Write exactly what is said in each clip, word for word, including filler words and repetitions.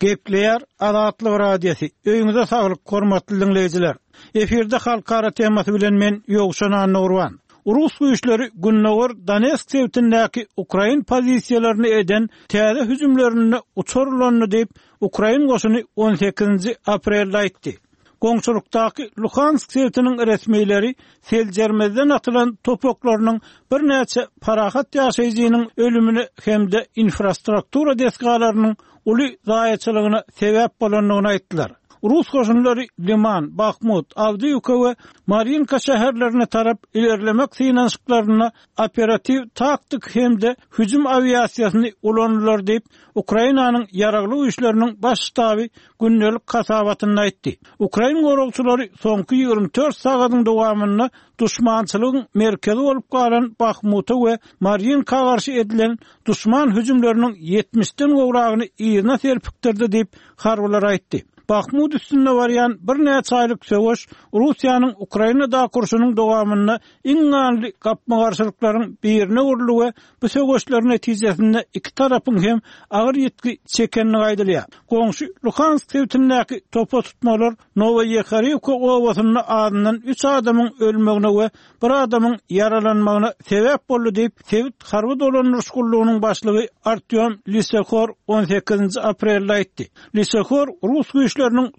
Gepleýär Azatlyk Radiosy. Öýüňize saglyk, hormatly diňleýjiler. Efirde halkara temasy bilen men Ýowşan Annagurban. Rus güýçleri Gündogar Donetsk sebitindäki ukrain pozisiýalaryny eden täze hüjümlerinde uçar ulandy diýip, ukrain goşuny on sekizinji aprelde aýtdy. Goňşulykdaky Luhansk sebitiniň resmileri seljermezden atylan top oklarynyň birnäçe parahat ýaşaýjynyň ölümine hem-de infrastruktura desgalarynyň uly zaýaçylygyna sebäp bolandygyny aýtdylar. Rus goşunlary Liman, Bahmut, Awdiýewka we Marinka şäherlerine tarap ilerlemek synanyşyklarynda operatiw taktik hem-de hüjüm awiasiýasyny ulandylar diýip, Ukrainanyň ýaragly güýçleriniň baş ştaby gündelik hasabatynda aýtdy. Ukrain goragçylary soňky ýigrimi dört sagadyň dowamynda duşmançylygyň merkezi bolup galan Bahmuta we Marinka garşy edilen duşman hüjümleriniň ýetmişden gowragyny yzyna serpikdirdi diýip, harbylar aýtdy. Bahmut üstünde barýan birnäçe aýlyk söweş Russiýanyň Ukrainadaky urşunyň dowamynda iň ganly gapma-garşylyklaryň birine öwrüldi we bu söweşler netijesinde iki tarapyň hem agyr ýitgi çekendigi aýdylýar. Goňşy Luhansk sebitindäki topa tutmalar Nowoýehorivka obasynda azyndan üç adamyň ölmegine we bir adamyň ýaralanmagyna sebäp boldy diýip, sebit harby dolandyryş gullugynyň başlygy Artyom Lisehor on sekizinji aprelde aýtdy. Lisehor rus güýçleriniň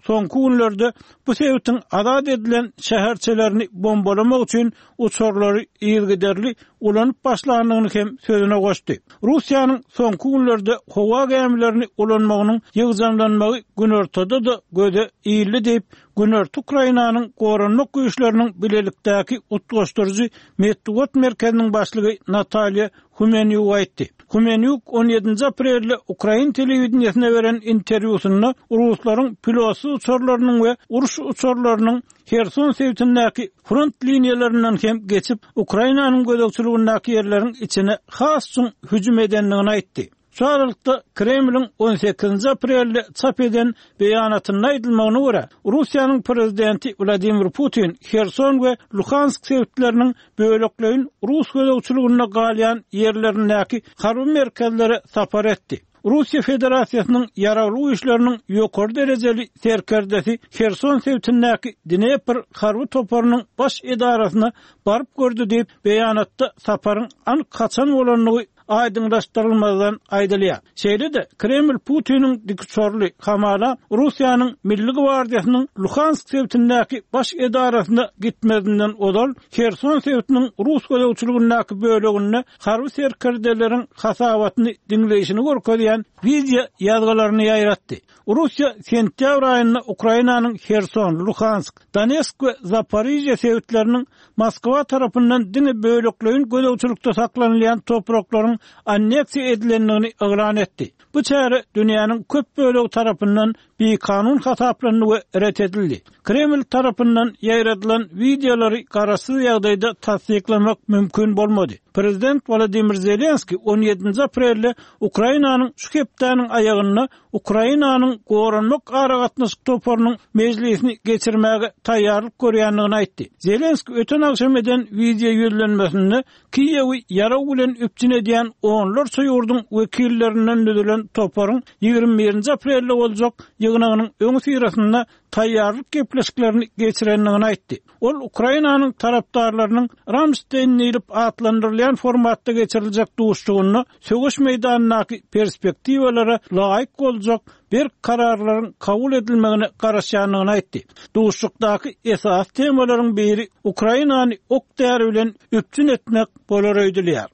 soňky günlerde bu sebitiň azat edilen şäherçelerini bombalamak üçin uçarlary yzygiderli ulanyp başlandygyny hem sözüne goşdy. Russiýanyň soňky günlerde howa gämilerini ulanmagynyň ýygjamlanmagy günortada-da göze ildi diýip, Günorta Ukrainanyň goranmak güýçleriniň bilelikdäki utgaşdyryjy metbugat merkeziniň başlygy Natalýa Humenýuk aýtdy. Humenýuk on ýedinji aprelde ukrain telewideniýesine beren interwýusynda ruslaryň pilotsyz uçarlarynyň we uruş uçarlarynyň Herson sebitindäki front liniýalaryndan hem geçip, Ukrainanyň gözegçiligindäki ýerleriň içine has çuň hüjüm edendigini aýtdy. Şu aralykda Kremliň on sekizinji aprelde çap eden beýanatynda aýdylmagyna görä, Russiýanyň prezidenti Wladimir Putin Herson we Luhansk sebitleriniň bölekleýin rus gözegçiliginde galýan ýerlerindäki harby merkezlere sapar etdi. Russiýa Federasiýasynyň ýaragly güýçleriniň ýokary derejeli serkerdesi Herson sebitindäki Dnepr harby toparynyň baş edarasyna baryp gördi diýip, beýanatda saparyň anyk haçan bolandygy aýdyňlaşdyrylmazdan aýdylýar. Şeýle-de Kreml Putiniň dikuçarly hamala Russiýanyň Milli gwardiýasynyň Luhansk sebitindäki baş edarasyna gitmezinden ozal Herson sebitiniň rus gözegçiligindäki böleginde harby serkerdeleriň hasabatyny diňleýşini görkezýän wideo ýazgylaryny ýaýratdy. Russiýa sentýabr aýynda Ukrainanyň Herson, Luhansk, Donetsk we Zaporižýa sebitleriniň Moskwa tarapyndan diňe bölekleýin gözegçilikde saklanylýan topraklaryň anneksiýa edilendigini yglan etdi. Bu çäre dünýäniň köp bölegi tarapyndan bikanun hasaplandy we ret edildi. Kreml tarapyndan ýaýradylan wideolary garaşsyz ýagdaýda tassyklamak mümkin bolmady. Prezident Wladimir Zelenski on ýedinji aprelde Ukrainanyň şu hepdäniň aýagynda Ukrainanyň goranmak aragatnaşyk toparynyň mejlisini geçirmäge taýýarlyk görýändigini aýtdy. Zelenski öten agşam eden wideo ýüzlenmesinde Kiýewi ýarag bilen üpjün edýän onlarça ýurduň wekillerinden düzülen toparyň ýigrimi birinji aprelde boljak ýygnagynyň öňüsyrasynda taýýarlyk gepleşiklerini geçirendigini aýtdy. Ol Ukrainanyň tarapdarlarynyň Ramstein diýlip atlandyrylýan formatda geçiriljek duşuşygynda söweş meýdanyndaky perspektiwalara laýyk boljak berk kararlaryň kabul edilmegine garaşýandygyny aýtdy. Duşuşykdaky esasy temalaryň biri Ukrainany ok däri bilen üpjün etmek bolar öýdülýär.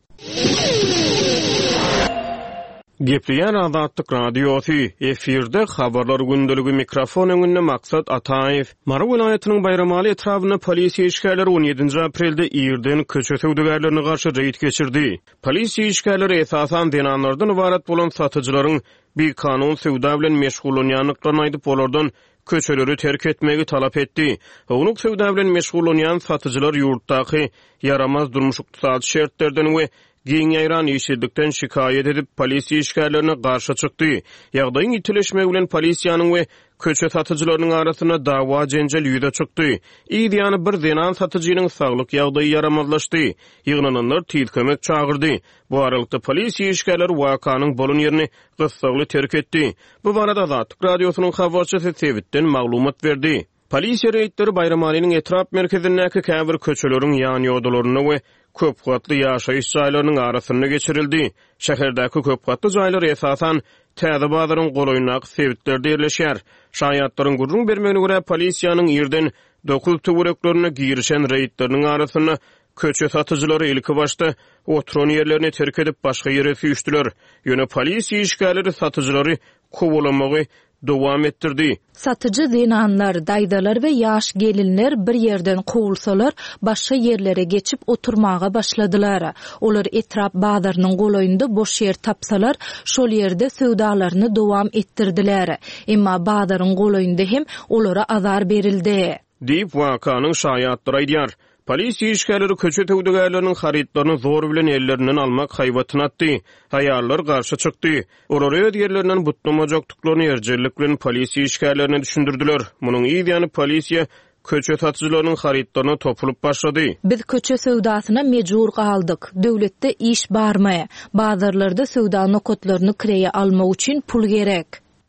Gepleýär Azatlyk Radiosy, efirde habarlar gündeligi, mikrofon öňünde Maksat Ataýew. Mary welaýatynyň Baýramaly etrabynda polisiýa işgärleri on ýedinji aprelde irden köçe söwdagärlerine garşy reýd geçirdi. Polisiýa işgärleri esasan zenanlardan ybarat bolan satyjylaryň bikanun söwda bilen meşgullanýandyklaryny aýdyp, olardan köçeleri terk etmegi talap etdi. Ownuk söwda bilen meşgullanýan satyjylar ýurtdaky ýaramaz durmuş-ykdysady şertlerden we giň ýaýran işsizlikden şikaýat edip, polisiýa işgärlerine garşy çykdy. Ýagdaýyň ýitileşmegi bilen polisiýanyň we köçe satyjylarynyň arasynda dawa-jenjel ýüze çykdy. Yz ýany bir zenan satyjynyň saglyk ýagdaýy ýaramazlaşdy. Ýygnananlar tiz kömek çagyrdy. Bu aralykda polisiýa işgärleri wakanyň bolan ýerini gyssagly terk etdi. Bu barada Azatlyk Radiosynyň habarçysy sebitden maglumat berdi. Polisiýa reýdleri Baýramalynyň etrap merkezindäki käbir köçeleriň ýanýodalarynda we köp gatly ýaşaýyş jaýlarynyň arasynda geçirildi. Şäherdäki köp gatly jaýlar esasan Täze bazaryň golaýyndaky sebitlerde ýerleşýär. Şaýatlaryň gürrüň bermegine görä, polisiýanyň irden dokuz töwereklerinde girişen reýdleriniň arasynda köçe satyjylary ilkibaşda oturan ýerlerini terk edip, başga ýere süýşdüler. Ýöne polisiýa işgärleri satyjylary kowalamagy dowam etdirdi. Satyjy zenanlar, daýzalar we ýaş gelinler bir ýerden kowulsalar, başga ýerlere geçip oturmaga başladylar. Olar etrap bazarynyň golaýynda boş ýer tapsalar, şol ýerde söwdalaryny dowam etdirdiler. Emma bazaryň golaýynda hem olara azar berildi. Diýip, wakanyň şaýatlary aýdýar. Polisiýa işgärleri köçe söwdagärleriniň harytlaryny zor bilen ellerinden almak haýbatyny atdy. Aýallar garşy çykdy. Olar öz ýerlerinden butlamajakdyklaryny erjellik bilen polisiýa işgärlerine düşündirdiler. Munuň yz ýany polisiýa köçe satyjylarynyň harytlaryna topulyp başlady. Biz köçe söwdasyna mejbur galdyk. Döwletde iş barmy? Bazarlarda söwda nokatlaryny kireýe almak üçin pul gerek.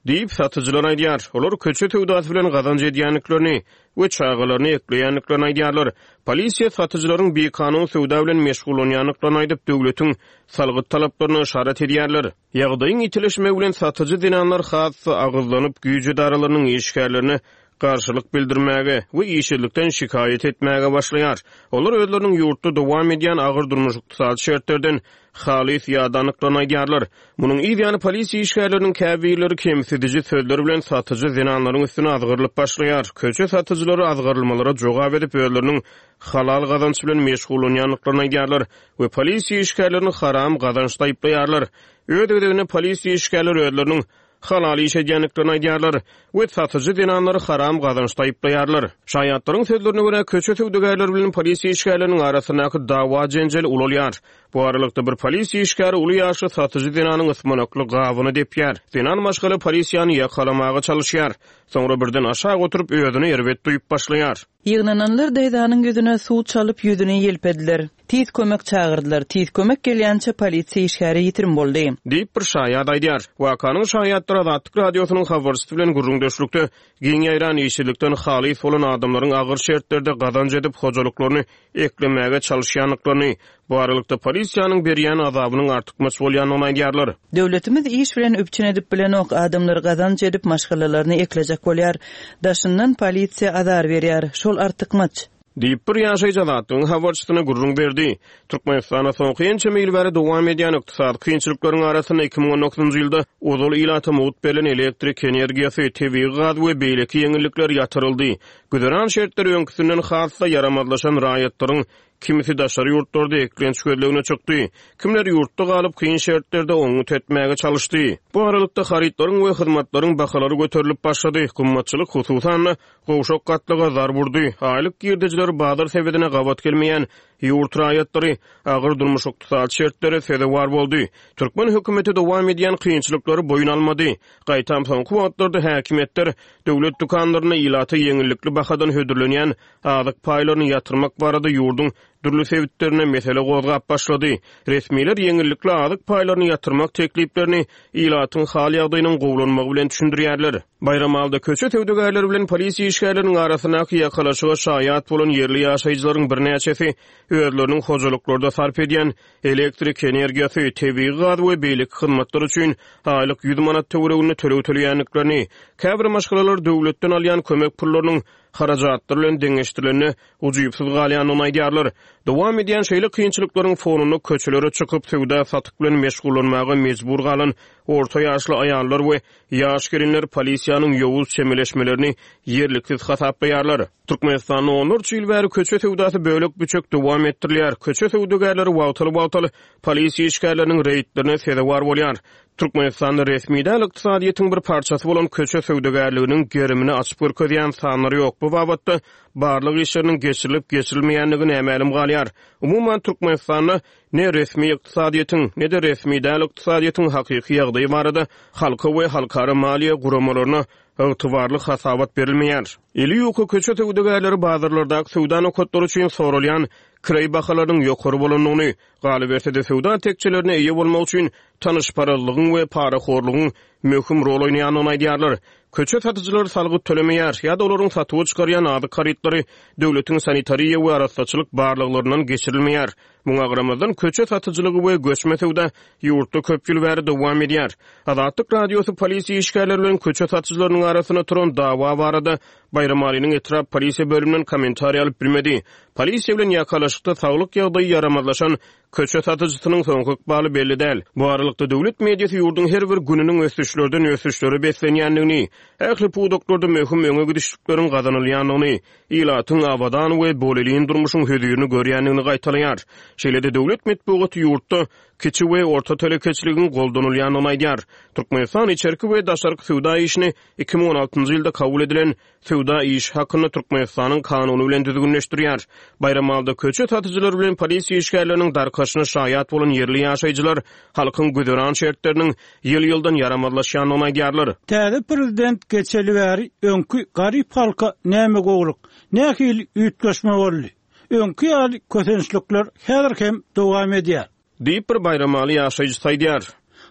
Diýip, satyjylar aýdýar. Olar köçe söwdasy bilen gazanç edýändiklerini we çagalaryny ekleýändiklerini aýdýarlar. Polisiýa satyjylaryň bikanun söwda bilen meşgullanýandyklaryny aýdyp, döwletiň salgyt talaplaryna yşarat edýärler. Ýagdaýyň ýitileşmegi bilen satyjy zenanlar has-da agyzlanyp, güýç edaralarynyň işgärlerine garşylyk bildirmäge we işsizlikden şikaýat etmäge başlaýar. Olar özleriniň ýurtda dowam edýän agyr durmuş-ykdysady şertlerden halys ýadandyklaryny aýdýarlar. Munuň yz ýany polisiýa işgärleriniň käbirleri kemsidiji sözler bilen satyjy zenanlaryň üstüne azgyrylyp başlaýar. Köçe satyjylary azgyrylmalara jogap edip, özleriniň halal gazanç bilen meşgullanýandyklaryny aýdýarlar we polisiýa işgärlerini haram gazançda aýyplaýarlar. Öz gezeginde polisiýa işgärleri özleriniň halal iş edýändiklerini aýdýarlar we satyjy zenanlary haram gazançda aýyplaýarlar. Şaýatlaryň sözlerine görä, köçe söwdagärleri bilen polisiýa işgärleriniň arasyndaky dawa-jenjel ulalýar. Bu aralykda bir polisiýa işgäri uly ýaşly satyjy zenanyň ysmanakly gabyny depýär. Zenan maşgala polisiýany ýakalamaga çalyşýar. Soňra birden aşak oturyp, özüni erbet duýup başlaýar. Ýygnananlar daýzanyň ýüzüne suw çalyp, ýüzüni ýelpediler. Tiz kömek çagyrdylar. Tiz kömek gelýänçä polisiýa işgäri ýitirim boldy. Diýip, bir şaýat aýdýar. Wakanyň şaýatlary Azatlyk Radiosynyň habarçysy bilen gürrüňdeşlikde giň ýaýran işsizlikden halys bolan adamlaryň agyr şertlerde gazanç edip, hojalyklaryny eklemäge çalyşýandyklaryny, bu aralykda polisiýanyň berýän azabynyň artykmaç bolýandygyny aýdýarlar. Döwletimiz iş bilen üpjün edip bilenok, adamlar gazanç edip, maşgalalaryny eklejek bolýar. Daşyndan polisiýa azar berýär. Şol artykmaç. Diýip, bir ýaşaýjy Azatlygyň habarçysyna gürrüň berdi. Türkmenistanda soňky ençeme ýyl bäri dowam edýän ykdysady kynçylyklaryň arasynda iki müň on dokuzynjy ýylda ozal ilata mugt berlen elektrik energiýasy, tebigy gaz we beýleki ýeňillikler ýatyryldy. Güzeran şertleri öňküsinden has-da ýaramazlaşan raýatlaryň kimisi daşary ýurtlarda eklenç gözlegine çykdy, kimler ýurtda galyp kyn şertlerde oňňut etmäge çalyşdy. Bu aralykda harytlaryň we hyzmatlaryň bahalary göterilip başlady. Gymmatçylyk hususan-da gowşak gatlaga zarb urdy. Aýlyk girdejileri bazar sebedine gabat gelmeýän ýurt raýatlary agyr durmuş-ykdysady şertlere sezewar boldy. Türkmen hökümeti dowam edýän kynçylyklary boýun almady. Gaýtam soňky wagtlarda häkimiýetler döwlet dükanlarynda ilata ýeňillikli bahadan hödürlenýän azyk paýlaryny ýatyrmak barada ýurduň dürli sebitlerine mesele gozgap başlady. Resmiler ýeňillikli azyk paýlaryny ýatyrmak tekliplerini ilatyň hal ýagdaýynyň gowulanmagy bilen düşündirýärler. Baýramalda köçe söwdagärleri bilen polisiýa işgärleriniň arasyndaky ýakalaşyga şaýat bolan ýerli ýaşaýjylaryň birnäçesi özleriniň hojalyklarda sarp edýän elektrik energiýasy, tebigy gaz we beýleki hyzmatlar üçin aýlyk ýüz manat töwereginde töleg töleýändiklerini, käbir maşgalalar döwletden alýan kömek pullarynyň harajatlar bilen deňeşdirilende ujypsyz galýandygyny aýdýarlar. Dowam edýän şeýle kynçylyklaryň fonunda köçelere çykyp söwda satyk bilen meşgullanmaga mejbur galan orta ýaşly aýallar we ýaş gelinler polisiýanyň ýowuz çemeleşmelerini ýerliksiz hasaplaýarlar. Türkmenistanda onlarça ýyl bäri köçe söwdasy bölek-büçek dowam etdirilýär. Köçe söwdagärleri wagtal-wagtal polisiýa işgärleriniň reýdlerine sezewar bolýar. Türkmenistanda resmi däl ykdysadyýetiň bir parçasy bolan köçe söwdagärliginiň gerimini açyp görkezýän sanlar ýok. Bu babatda barlag işleriniň geçirilip geçirilmeýändigi nämälim galýar. Umuman Türkmenistanda ne resmi ykdysadyýetiň, ne-de resmi däl ykdysadyýetiň hakyky ýagdaýy barada halka we halkara maliýe guramalaryna ygtybarly hasabat berilmeýär. Eli ýuka köçe söwdagärleri bazarlardaky söwda nokatlary üçin soralýan kireý bahalarynyň ýokary bolandygyny, galyberse-de söwda tekjelerine eýe bolmak üçin tanyşparazlygyň we parahorlugyň möhüm rol oýnaýandygyny aýdýarlar. Köçe satyjylary salgyt tölemeýär ýa-da olaryň satuwa çykarýan azyk harytlary döwletiň sanitariýa we arassaçylyk barlaglaryndan geçirilmeýär. Muňa garamazdan köçe satyjylygy we göçme söwda ýurtda köp ýyl bäri dowam edýär. Azatlyk Radiosy polisiýa işgärleri bilen köçe satyjylarynyň arasynda turan dawa barada Baýramalynyň etrap polisiýa bölüminden kommentariý alyp bilmedi. Polisiýa bilen ýakalaşykda saglyk ýagdaýy ýaramazlaşan köçe satyjysynyň soňky ykbaly belli däl. Bu aralykda döwlet mediasy ýurduň her bir gününiň ösüşlerden ösüşlere beslenýändigini, ähli pudaklarda möhüm öňe gidişlikleriň gazanylýandygyny, ilatyň abadan we bolelin durmuşyň hözirini görýändigini gaýtalaýar. Şeýle-de döwlet metbugaty ýurtda kiçi we orta telekeçiligiň goldanylýandygyny aýdýar. Türkmenistan içerki we daşarky söwda işini iki müň on altynjy ýylda kabul edilen söwda işi hakynda Türkmenistanyň kanuny bilen düzgünleşdirýär. Baýramalda köçe satyjylary bilen polisiýa işgärleriniň darkaşyna şaýat bolan ýerli ýaşaýjylar halkyň güzeran şertleriniň ýyl-ýyldan ýaramazlaşýandygyny aýdýarlar. Täze prezident geçeli bäri öňki garyp halka näme gowluk, nähili üýtgeşme boldy? Öňki ýaly kösençlikler häzir hem dowam edýär. Diýip bir Baýramaly ýaşaýjy aýdýar.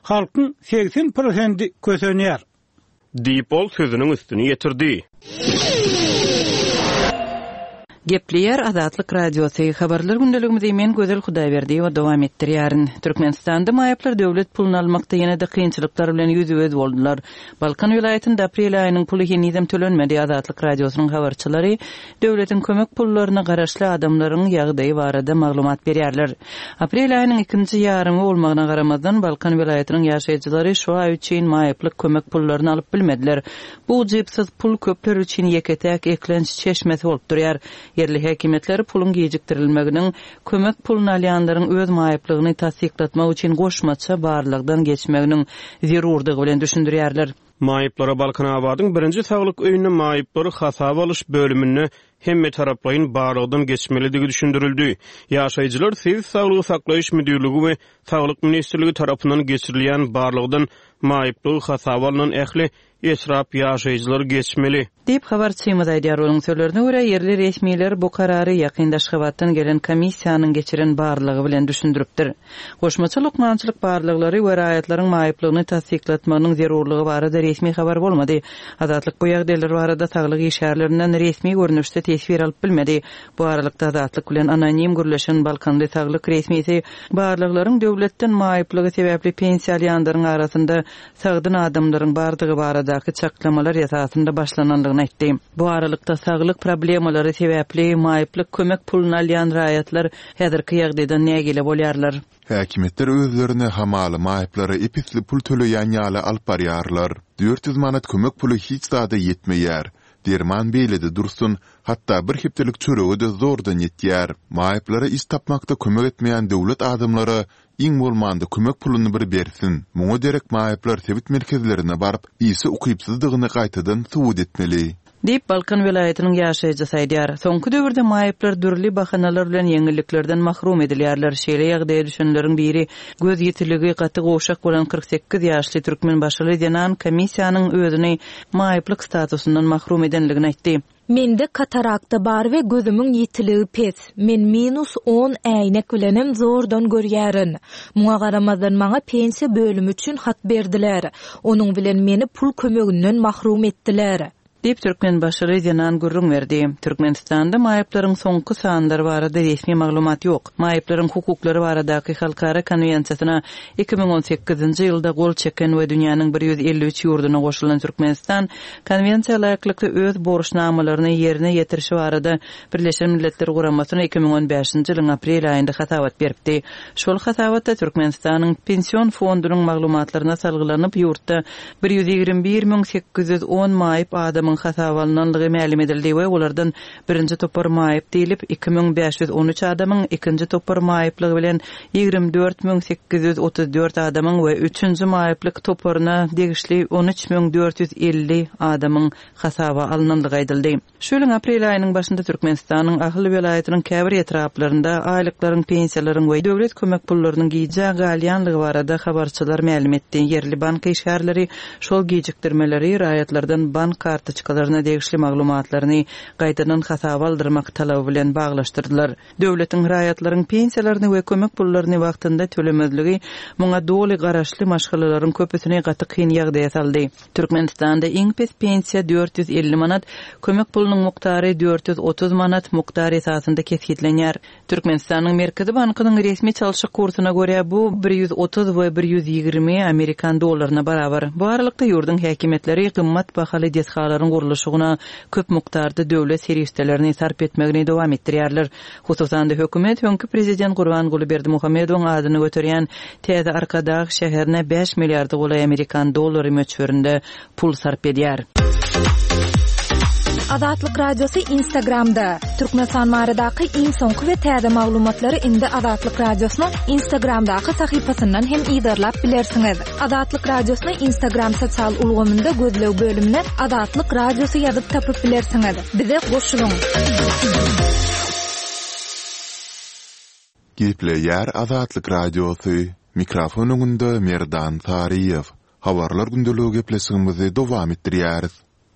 Halkyň seksen prosenti kösenýär. Diýip ol sözüniň üstüni ýetirdi. Gepleýär Azatlyk Radiosy. Habarlar gündeligimizi men Gözel Hudaýberdiýewa dowam etdirýärin. Türkmenistanda maýyplar döwlet puluny almakda ýene-de kynçylyklar bilen ýüzbe-ýüz boldular. Balkan welaýatynda aprel aýynyň puly henizem tölenmedi. Azatlyk Radiosynyň habarçylary döwletiň kömek pullaryna garaşly adamlaryň ýagdaýy barada maglumat berýärler. Aprel aýynyň ikinji ýarymy bolmagyna garamazdan Balkan welaýatynyň ýaşaýjylary şu aý üçin maýyplyk kömek pullaryny alyp bilmediler. Bu ujypsyz pul köpler üçin ýeke-täk eklenç çeşmesi bolup durýar. Ýerli häkimiýetler puluň gijikdirilmeginiň kömek puluny alýanlaryň öz maýyplygyny tassyklatmak üçin goşmaça barlagdan geçmeginiň zerurdygy bilen düşündirýärler. Maýyplara Balkanabadyň birinji saglyk öýünde maýyplary hasaba alyş bölüminde hemme taraplaýyn barlagdan geçmelidigi düşündirildi. Ýaşaýjylar Sebit Saglygy Saklaýyş Müdirligi we Saglyk Ministrligi tarapyndan geçirilýän barlagdan maýyplygy hasaba alynan ähli etrap ýaşaýjylary geçmeli. Diýip habarçymyz aýdýar. Onuň sözlerine görä ýerli resmiler bu karary ýakyn Aşgabatdan gelen komissiýanyň geçiren barlagy bilen düşündiripdir. Goşmaça lukmançylyk barlaglary we raýatlaryň maýyplygyny tassyklatmagynyň zerurlygy barada resmi habar bolmady. Azatlyk bu ýagdaýlar barada saglyk işgärlerinden resmi görnüşde teswir alyp bilmedi. Bu aralykda Azatlyk bilen anonim gürleşen Balkanly saglyk resmisi barlaglaryň döwletden maýyplygy sebäpli pensiýa alýanlaryň arasynda sagdyn adamlaryň bardygy baradaky çaklamalar esasynda başlanandygyny aýtdy. Bu aralykda saglyk problemalary sebäpli maýyplyk kömek puluny alýan raýatlar häzirki ýagdaýdan nägile bolýarlar. Häkimiýetler özlerine hamaly maýyplara episli pul töleýän ýaly alyp barýarlar. dört ýüz manat kömek puly hiç zada ýetmeýär. Derman beýlede dursun, hatda bir hepdelik çörege-de zordan ýetýär. Maýyplara iş tapmakda kömek etmeýän döwlet adamlara iň bolmanda kömek puluny bir bersin. Muňa derek maýyplar sebit merkezlerine baryp, işe ukypsyzdygyny gaýtadan subut etmeli. Diýip Balkan welaýatynyň ýaşaýjysy aýdýar. Soňky döwürde maýyplar dürli bahanalar bilen ýeňilliklerden mahrum edilýärler. Şeýle ýagdaýa düşenleriň biri göz ýitiligi gaty gowşak bolan kyrk sekiz ýaşly türkmenbaşyly zenan komissiýanyň özüni maýyplyk statusyndan mahrum edenligini aýtdy. Mende katarakta bar we gözümiň ýitiligi pes. Men minus on äýnek bilenem zordan görýärin. Muňa garamazdan maňa pensiýa bölümi üçin hat berdiler. Onuň bilen meni pul kömeginden mahrum etdiler. Diýip türkmenbaşyly zenan gürrüň berdi. Türkmenistanda maýyplaryň soňky sanlary barada resmi maglumat ýok. Maýyplaryň hukuklary baradaky halkara konwensiýasyna iki müň on sekizinji ýylda gol çeken we dünýäniň bir ýüz elli üç ýurduna goşulan Türkmenistan konwensiýa laýyklykda öz borçnamalaryny ýerine ýetirişi barada Birleşen Milletler Guramasyna iki müň on bäşinji ýylyň aprel aýynda hasabat beripdi. Şol hasabatda Türkmenistanyň pension fondunyň maglumatlaryna salgylanyp, ýurtda bir ýüz ýigrimi bir müň sekiz ýüz on maýyp adamyň adamyň hasaba alnandygy mälim edildi we olardan birinji topar maýyp diýlip iki müň bäş ýüz on üç adamyň, ikinji topar maýyplygy bilen ýigrimi dört müň sekiz ýüz otuz dört adamyň we üçünji maýyplyk toparyna degişli on üç müň dört ýüz elli adamyň hasaba alnandygy aýdyldy. Şu ýylyň aprel aýynyň başynda Türkmenistanyň Ahal welaýatynyň käbir etraplarynda aýlyklaryň, pensiýalaryň we döwlet kömek pullarynyň gijä galýanlygy barada habarçylar mälim etdi. Ýerli bank işgärleri şol gijikdirmeleri raýatlardan bank kartoçkalaryna degişli maglumatlaryny gaýtadan hasaba aldyrmak talaby bilen baglaşdyrdylar. Döwletiň raýatlaryň pensiýalaryny we kömek pullaryny wagtynda tölemezligi muňa doly garaşly maşgalalaryň köpüsini gaty kyn ýagdaýa saldy. Türkmenistanda iň pes pensiýa dört ýüz elli manat, kömek pulunyň mukdary dört ýüz otuz manat mukdar esasynda kesgitlenýär. Türkmenistanyň Merkezi bankynyň resmi çalşyk kursyna görä bu bir ýüz otuz we bir ýüz ýigrimi amerikan dollaryna barabar. Bu aralykda ýurduň häkimiýetleri gymmat bahaly desgalaryň gurluşygyna köp mukdarda döwlet serişdelerini sarp etmegini dowam etdirýärler. Hususan-da hökümet öňki prezident Gurbanguly Berdimuhamedowyň adyny göterýän Täze Arkadag şäherine bäş milliarda golaý amerikan dollary möçberinde pul sarp edýär. Azatlyk Radiosy Instagramda. Türkmenistan baradaky iň soňky we täze maglumatlary indi Azatlyk Radiosynyň Instagramdaky sahypasyndan hem yzarlap bilersiňiz. Azatlyk Radiosyny Instagram sosial ulgamynda gözleg bölümine Azatlyk Radiosy ýazyp tapyp bilersiňiz. Bize goşulyň. Gepleýär Azatlyk Radiosy. Mikrofon öňünde Merdan Saryýew. Habarlar gündeligi gepleşigimizi dowam etdirýäris.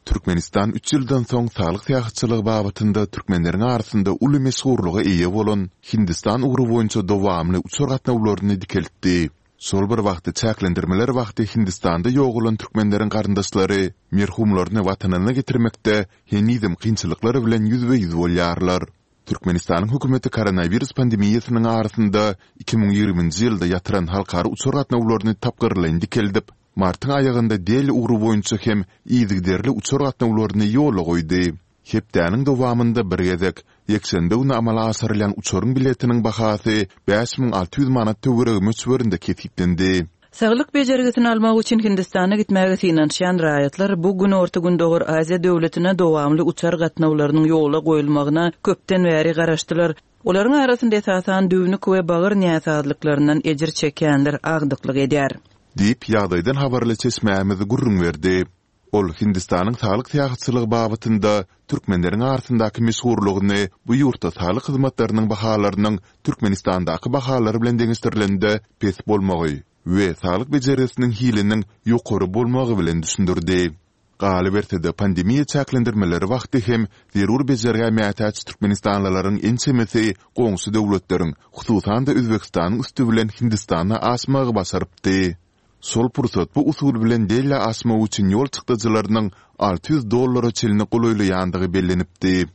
Türkmenistan üç ýyldan soň saglyk syýahatçylygy babatynda türkmenleriň arasynda uly meşhurlyga eýe bolan Hindistan ugry boýunça dowamly uçar gatnawlaryny dikeltdi. Şol bir wagtda çäklendirmeler wagty Hindistanda ýogalan türkmenleriň garyndaşlary merhumlaryny watanyna getirmekde henizem kynçylyklar bilen ýüzbe-ýüz bolýarlar. Türkmenistanyň hökümeti koronawirus pandemiýasynyň arasynda iki müň ýigriminji ýylda ýatyran halkara uçar gatnawlaryny tapgyrlaýyn dikeldip, martyň aýagynda Deli ugry boýunça hem yzygiderli uçar gatnawlaryny ýola goýdy. Hepdäniň dowamynda bir gezek, ýekşenbe güni amala aşyrylýan uçaryň biletiniň bahasy bäş müň alty ýüz manat töweregi möçberinde kesgitlendi. Saglyk bejergisini almak üçin Hindistana gitmäge synanyşýan raýatlar bu Günorta-Gündogar Aziýa döwletine dowamly uçar gatnawlarynyň ýola goýulmagyna köpden bäri garaşdylar. Olaryň arasynda esasan düwnük we bagyr näsazlyklaryndan ejir çekýänler agdyklyk edýär. Diýip, ýagdaýdan habarly çeşmämiz gürrüň berdi. Ol Hindistanyň saglyk syýahatçylygy babatynda türkmenleriň arasyndaky meşhurlygyny bu ýurtda saglyk hyzmatlarynyň bahalarynyň Türkmenistandaky bahalar bilen deňeşdirilende pes bolmagy we saglyk bejergisiniň hiliniň ýokary bolmagy bilen düşündirdi. Galyberse-de, pandemiýa çäklendirmeleri wagty hem zerur bejergä mätäç türkmenistanlylaryň ençemesi goňşy döwletleriň, hususan-da Özbegistanyň üsti bilen Hindistana aşmagy başarypdy. Şol pursat bu usul bilen Delä aşmak üçin ýol çykdajylarynyň alty ýüz dollara çenli golaýlaýandygy bellenipdi.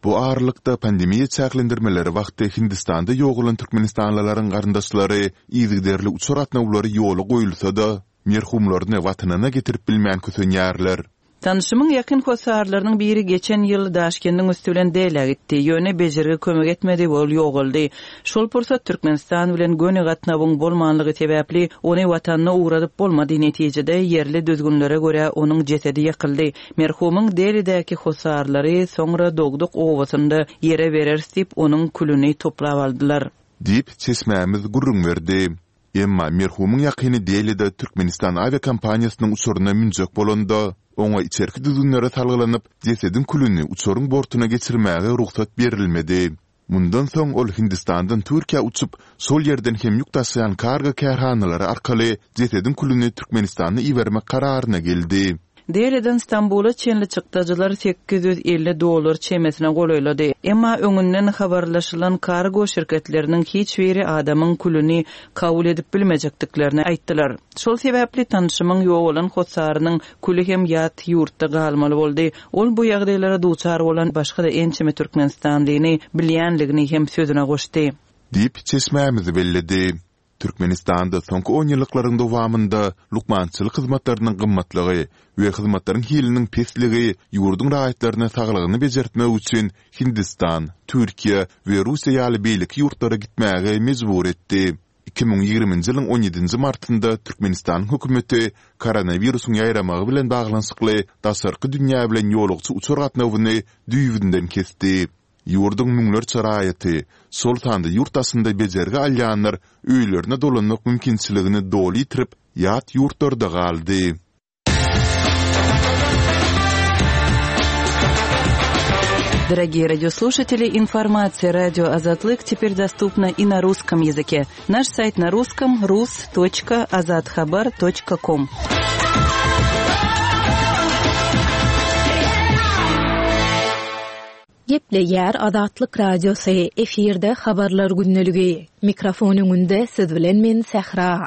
Bu aralykda pandemiýa çäklendirmeleri wagty Hindistanda ýogalan türkmenistanlylaryň garyndaşlary yzygiderli uçar gatnawlary ýola goýulsa-da, merhumlaryny watanyna getirip bilmän kösenýärler. Tanşymyň ýakyn hossarlarynyň biri geçen ýyl Daşkendiň üsti bilen Delä gitdi. Ýöne bejergi kömek etmedi we ol ýogaldy. Şol pursat Türkmenistan bilen göni gatnawyň bolmanlygy sebäpli ony watanyna ugradyp bolmady. Netijede ýerli düzgünlere görä onuň jesedi ýakyldy. Merhumyň Delidäki hossarlary soňra dogduk obasynda ýere bereris diýip onuň külüni toplap aldylar. Diýip, çeşmämiz gürrüň berdi. Emma merhumyň ýakyny Delide Türkmenistan awiakompaniýasynyň uçaryna münjek bolanda, oňa içerki düzgünlere salgylanyp, jesediň külüni uçaryň bortuna geçirmäge rugsat berilmedi. Mundan soň ol Hindistandan Türkiýä uçup, şol ýerden hem ýük daşaýan kargo kärhanalary arkaly jesediň külüni Türkmenistana ibermek kararyna geldi. Deliden Stambula çenli çykdajylar sekiz ýüz elli dollar çemesine golaýlady. Emma öňünden habarlaşylan kargo şirketleriniň hiç biri adamyň külüni kabul edip bilmejekdiklerini aýtdylar. Şol sebäpli tanşymyň ýogalan hossarynyň küli hem ýat ýurtda galmaly boldy. Ol bu ýagdaýlara duçar bolan başga-da ençeme Türkmenistanlyny bilýänligini hem sözüne goşdy. Diýip, çeşmämizi belledi. Türkmenistanda soňky on ýyllyklaryň dowamynda lukmançylyk hyzmatlarynyň gymmatlygy we hyzmatlaryň hiliniň pesligi ýurduň raýatlaryna saglygyny bejertmek üçin Hindistan, Türkiýe we Russiýa ýaly beýleki ýurtlara gitmäge mejbur etdi. Iki müň ýigriminji ýylyň on ýedinji martynda Türkmenistanyň hökümeti koronawirusyň ýaýramagy bilen baglanyşykly daşarky dünýä bilen ýolagçy uçar gatnawyny düýbünden kesdi. Ýurduň müňlerçe raýaty, şol sanda ýurt daşynda bejergi alýanlar öýlerine dolanmak mümkinçiligini doly ýitirip, ýat ýurtlarda galdy. Дорогие радиослушатели, информация радио Азатлык теперь доступна и на русском языке. Наш сайт на русском rus.azathabar.com. Gepleýär Azatlyk Radiosy, efirde habarlar gündeligi. Mikrofon öňünde siz bilen men Sähra.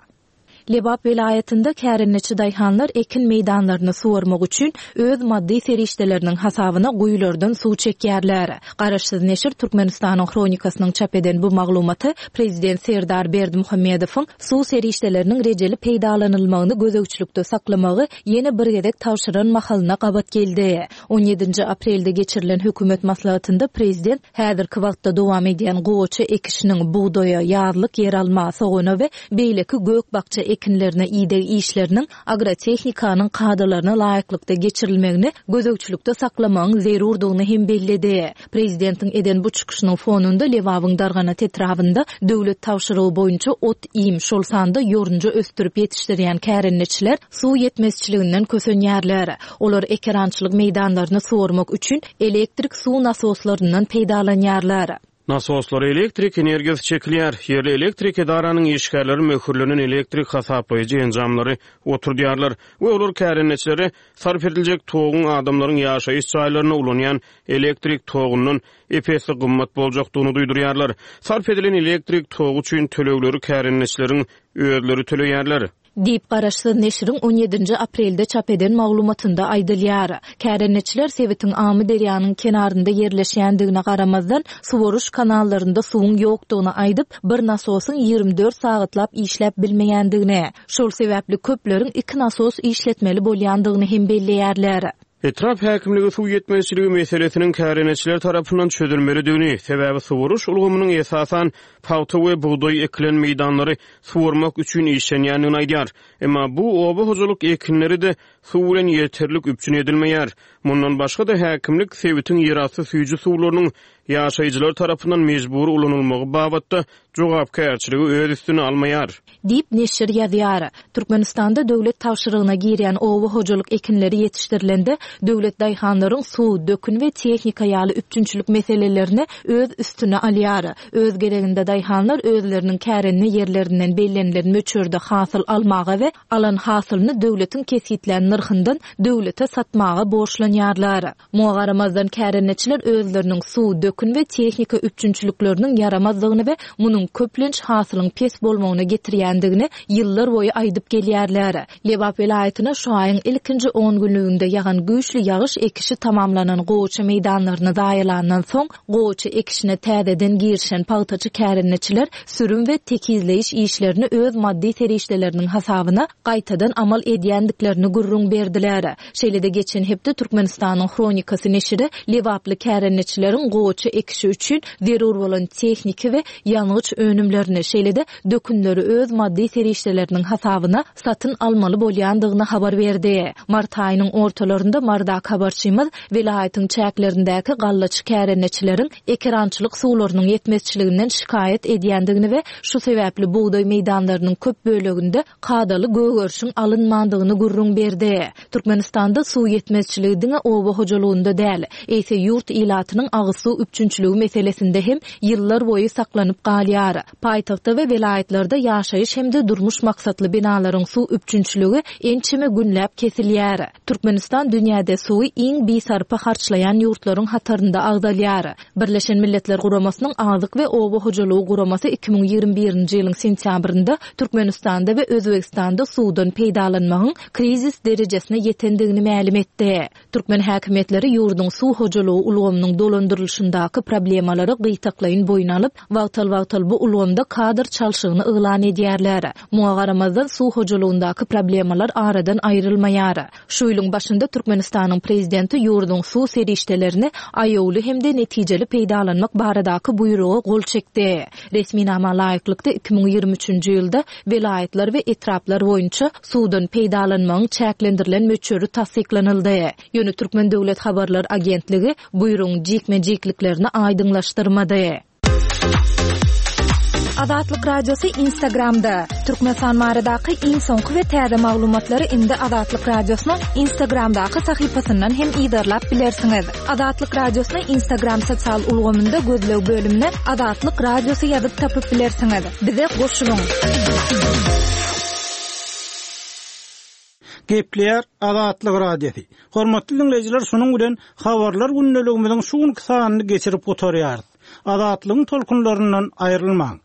Lebap welaýatynda kärendeçi daýhanlar ekin meýdanlaryny suwarmak üçin öz maddy serişdeleriniň hasabyna guýulardan suw çekýärler. Garaşsyz neşir Türkmenistanyň Hronikasynyň çap eden bu maglumaty Prezident Serdar Berdimuhamedowyň suw serişdeleriniň rejeli peýdalanylmagyny gözegçilikde saklamagy ýene bir gezek tabşyran mahalyna gabat geldi. On ýedinji aprelde geçirilen hökümet maslahatynda prezident häzirki wagtda dowam edýän gowaça ekişiniň bugdaýa, ýazlyk ýeralma, sogana we beýleki gök-bakja ekinlerine ideg işleriniň agrotehnikanyň kadalaryna laýyklykda geçirilmegini gözegçilikde saklamagyň zerurdygyny hem belledi. Prezidentiň eden bu çykyşynyň fonunda Lebabyň Darganat etrabynda döwlet tabşyrygy boýunça ot-iým, şol sanda ýorunja ösdürip ýetişdirýän kärendeçiler suw ýetmezçiliginden kösenýärler. Olar ekerançylyk meýdanlaryny suwarmak üçin elektrik suw nasoslaryndan peýdalanýarlar. Nasoslara elektrik energiýasy çekilýär. Ýerli elektrik edaranyň işgärleri möhürlenen elektrik hasaplaýjy enjamlary oturdýarlar we olar kärendeçilere sarp ediljek toguň adamlaryň ýaşaýyş jaýlaryna ulanýan elektrik togundan epesli gymmat boljakdygyny duýdurýarlar. Sarp edilen elektrik togy üçin tölegleri kärendeçileriň özleri töleýärler. Diýip garaşsyz neşiriň on ýedinji aprelde çap eden maglumatynda aýdylýar. Kärendeçiler sebitiň Amy derýanyň kenarynda ýerleşýändigine garamazdan suwaryş kanallarynda suwuň ýokdugyny aýdyp, bir nasosyň ýigrimi dört sagatlap işläp bilmeýändigini, şol sebäpli köpleriň iki nasos işletmeli bolýandygyny hem belleýärler. Etrap häkimligi suw ýetmezçiligi meselesiniň kärendeçiler tarapyndan çözülmelidigini, sebäbi suwaryş ulgamynyň esasan pagta we bugdaý ekilen meýdanlary suwarmak üçin işlenýändigini aýdýar. Emma bu oba hojalyk ekinleri de suw bilen ýeterlik üpjün edilmeýär. Mundan başga-da häkimlik sebitiň ýerasty süýji suwlarynyň ýaşaýjylar tarapyndan mejbur ulanylmagy babatda jogapkärçiligi öz üstüne almaýar. Diýip neşir ýazýar. Türkmenistanda döwlet tabşyrygyna girýän oba hojalyk ekinleri ýetişdirilende döwlet daýhanlaryň suw, dökün we tehnika ýaly üpjünçilik meselelerini öz üstüne alýar. Öz gereginde daýhanlar özleriniň kärenine ýerlerinden bellenilen möçberde hasyl almaga we alan hasylyny döwletiň kesgitlän nyrhyndan döwlete satmaga borçlanýarlar. Muňa garamazdan kärendeçiler özleriniň suw, dökün we tehnika üpjünçilikleriniň ýaramazlygyny we munuň köplenç hasylyň pes bolmagyna getirýändigini ýyllar boýy aýdyp gelýärler. Lebap welaýatyna şu aýyň ilkinji on günlüginde ýagan güýçli ýagyş ekişi tamamlanan gowaça meýdanlaryny zaýalandan soň gowaça ekişine täzeden girişen pagtaçy kärendeçiler sürüm we tekizleýiş işlerini öz maddy serişdeleriniň hasabyna gaýtadan amal edýändiklerini gürrüň berdiler. Şeýle-de geçen hepde Türkmenistanyň Hronikasy neşiri Lebaply kärendeçileriň gowaça ekişi üçin zerur bolan tehniki we ýangyç önümlerini, şeýle-de dökünleri öz maddy serişdeleriniň hasabyna satyn almaly bolýandygyny habar berdi. Mart aýynyň ortalarynda Mardak habarçymyz welaýatyň çäklerindäki gallaçy kärendeçileriň ekerançylyk suwlarynyň ýetmezçiliginden şikaýat edýändigini we şu sebäpli bugdaý meýdanlarynyň köp böleginde kadaly gögerişiň alynmandygyny gürrüň berdi. Türkmenistanda suw ýetmezçiligi diňe oba hojalygynda däl, eýse ýurt ilatynyň agyz suw üpjünçiligi meselesinde hem ýyllar boýy saklanyp galýar. Paýtagtda we welaýatlarda ýaşaýyş hem-de durmuş maksatly binalaryň suw üpjünçiligi ençeme günläp kesilýär. Türkmenistan dünýäde suwy iň bisarpa harçlaýan ýurtlaryň hatarynda agzalýar. Birleşen Milletler Guramasynyň Azyk we Oba hojalygy guramasy iki müň ýigrimi birinji ýylyň sentýabrynda Türkmenistanda we Özbegistanda suwdan peýdalanmagyň krizis derejesine ýetendigini mälim etdi. Türkmen häkimiýetleri ýurduň suw hojalygy ulgamynyň dolandyrylyşyndaky hojalygyndaky problemalary gytaklaýyn boýun alyp, wagtal-wagtal bu ulgamda kadr çalşygyny yglan edýärler. Muňa garamazdan suw hojalygyndaky problemalar aradan aýrylmaýar. Şu ýylyň başynda Türkmenistanyň prezidenti ýurduň suw serişdelerini aýawly hem-de netijeli peýdalanmak baradaky buýruga gol çekdi. Resminama laýyklykda iki müň ýigrimi üçünji ýylda welaýatlar we etraplar boýunça suwdan peýdalanmagyň çäklendirilen möçberi tassyklanyldy. Ýöne Türkmen döwlet habarlar agentligi buýrugyň jikme-jikliklerini aýdyňlaşdyrmady. Azatlyk Radiosy Instagramda. Türkmenistan baradaky iň soňky we täze maglumatlary indi Azatlyk Radiosynyň Instagramdaky sahypasyndan hem yzarlap bilersiňiz. Azatlyk Radiosyny Instagram sosial ulgamynda gözleg bölümine Azatlyk Radiosy ýazyp tapyp bilersiňiz. Bize goşulyň! Gepleýär Azatlyk Radiosy. Hormatly diňleýjiler, şunuň bilen habarlar gündeligimiziň şu günki sanyny geçirip gutarýarys. Azatlygyň tolkunlaryndan aýrylmaň.